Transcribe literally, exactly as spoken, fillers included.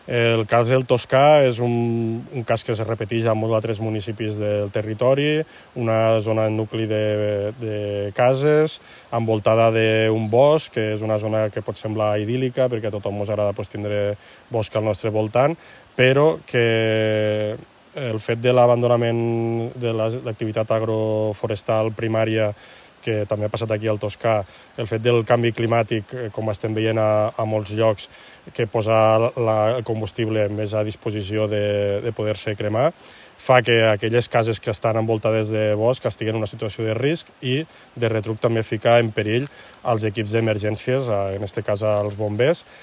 El cas del Toscà és un, un cas que es repeteix a molts altres municipis del territori, una zona nucli de, de cases, envoltada d'un bosc, que és una zona que pot semblar idíl·lica, perquè a tothom ens agrada pues, tindre bosc al nostre voltant, però que el fet de l'abandonament de l'activitat agroforestal primària, que també ha passat aquí al Toscà, el fet del canvi climàtic, com estem veient a, a molts llocs, que posar la, el combustible més a disposició de, de poder-se cremar, fa que aquelles cases que estan envoltades de bosc estiguen en una situació de risc i de retruc també ficar en perill els equips d'emergències, en aquest cas als bombers,